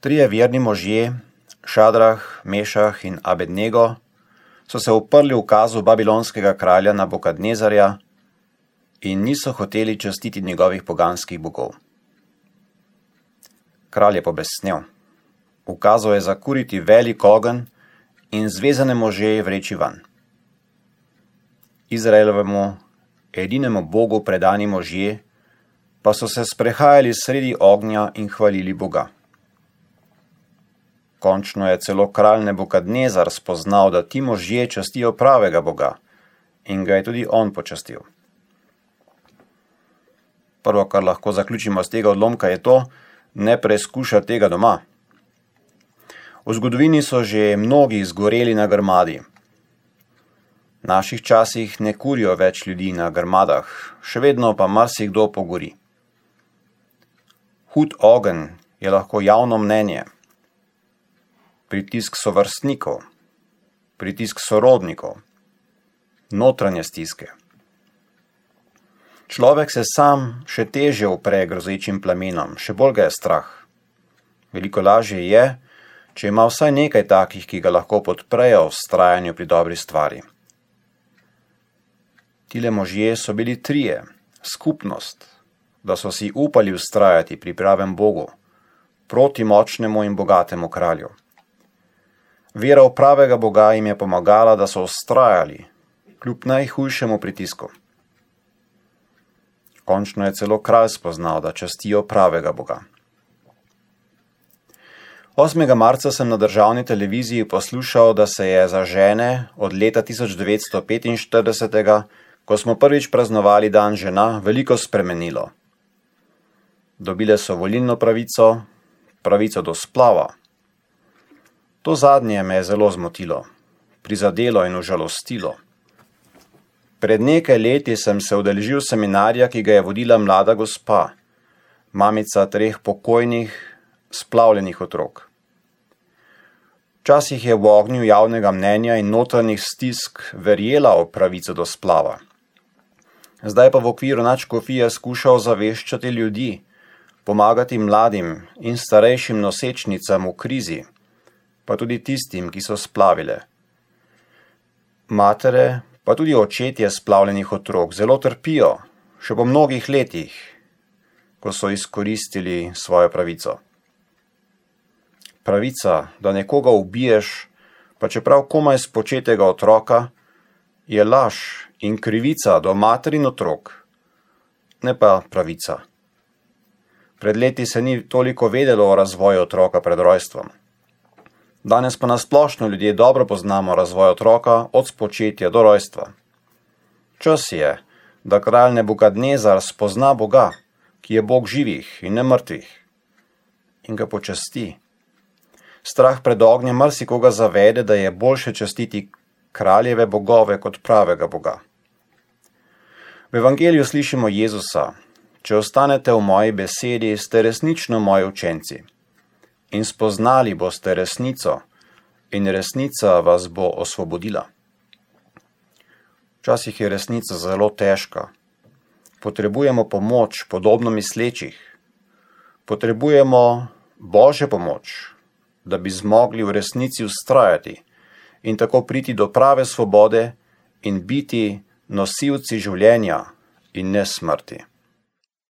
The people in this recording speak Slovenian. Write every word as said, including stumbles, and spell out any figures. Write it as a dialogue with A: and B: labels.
A: Trije verni možje, Šadrah, Mešah in Abednego, so se uprli ukazu babilonskega kralja Nabukadnezarja in niso hoteli častiti njegovih poganskih bogov. Kralj je pobesnel. Ukazal je zakuriti velik ogenj in zvezane može vreči van. Izraelovemu, edinemu Bogu predani možje, pa so se sprehajali sredi ognja in hvalili Boga. Končno je celo kralj Nebukadnezar spoznal, da ti možje častijo pravega Boga, in ga je tudi on počastil. Prvo, kar lahko zaključimo z tega odlomka, je to, ne preizkušati tega doma. V zgodovini so že mnogi izgoreli na grmadi. V naših časih ne kurijo več ljudi na grmadah, še vedno pa marsikdo pogori. Hud ogenj je lahko javno mnenje, pritisk sovrstnikov, pritisk sorodnikov, notranje stiske. Človek se sam še težje upre grozečim plamenom, še bolj ga je strah. Veliko lažje je, če ima vsaj nekaj takih, ki ga lahko podprejo v vztrajanju pri dobri stvari. Tile možje so bili trije, skupnost, da so si upali vztrajati pri pravem Bogu, proti močnemu in bogatemu kralju. Vera v pravega Boga jim je pomagala, da so vztrajali, kljub najhujšemu pritisku. Končno je celo kralj spoznal, da častijo pravega Boga. osmega marca sem na državni televiziji poslušal, da se je za žene od leta tisoč devetsto petinštirideset, ko smo prvič praznovali dan žena, veliko spremenilo. Dobile so volilno pravico, pravico do splava. To zadnje me je zelo zmotilo, prizadelo in užalostilo. Pred nekaj leti sem se udeležil seminarja, ki ga je vodila mlada gospa, mamica treh pokojnih, splavljenih otrok. Včasih je v ognju javnega mnenja in notranjih stisk verjela v pravico do splava. Zdaj pa v okviru nadškofije skušal zaveščati ljudi, pomagati mladim in starejšim nosečnicam v krizi, pa tudi tistim, ki so splavile. Matere, pa tudi očetje splavljenih otrok zelo trpijo, še po mnogih letih, ko so izkoristili svojo pravico. Pravica, da nekoga ubiješ, pa čeprav komaj spočetega otroka, je laž in krivica do mater in otrok, ne pa pravica. Pred leti se ni toliko vedelo o razvoju otroka pred rojstvom. Danes pa nasplošno ljudje dobro poznamo razvoj otroka od spočetja do rojstva. Čas je, da kralj Nebukadnezar spozna Boga, ki je Bog živih in ne mrtvih, in ga počasti. Strah pred ognjem marsikoga zavede, da je boljše častiti kraljeve bogove kot pravega Boga. V evangeliju slišimo Jezusa: če ostanete v moji besedi, ste resnično moji učenci. In spoznali boste resnico, in resnica vas bo osvobodila. Včasih je resnica zelo težka. Potrebujemo pomoč podobno mislečih. Potrebujemo Božjo pomoč, da bi zmogli v resnici vztrajati in tako priti do prave svobode in biti nosilci življenja in ne smrti.